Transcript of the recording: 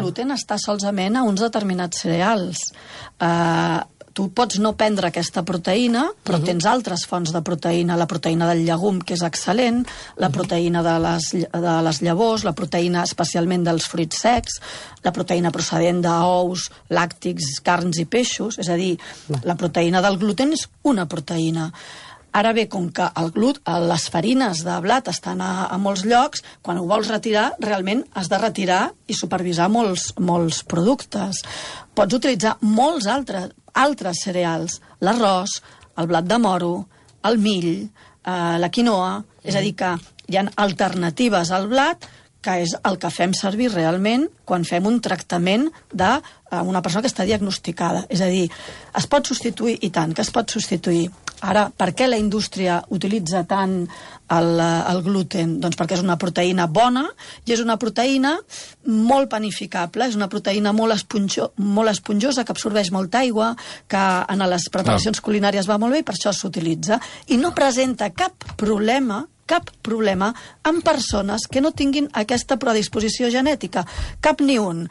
gluten està solament a uns determinats cereals. Tu pots no prendre aquesta proteïna, però tens altres fonts de proteïna, la proteïna del llegum, que és excel·lent, la proteïna de les llavors, la proteïna especialment dels fruits secs, la proteïna procedent d'ous, làctics, carns i peixos, és a dir, la proteïna del gluten és una proteïna. Ara bé, com que les farines de blat estan a molts llocs, quan ho vols retirar, realment has de retirar i supervisar molts productes. Pots utilitzar molts altres cereals, l'arròs, el blat de moro, el mill, la quinoa, és a dir, que hi ha alternatives al blat, que és el que fem servir realment quan fem un tractament d'una persona que està diagnosticada. És a dir, es pot substituir, i tant, que es pot substituir. Ara, per què la indústria utilitza tant el gluten? Doncs perquè és una proteïna bona i és una proteïna molt panificable, és una proteïna molt esponjosa, que absorbeix molta aigua, que en les preparacions culinàries va molt bé i per això s'utilitza. I no presenta cap problema amb persones que no tinguin aquesta predisposició genètica. Cap ni un.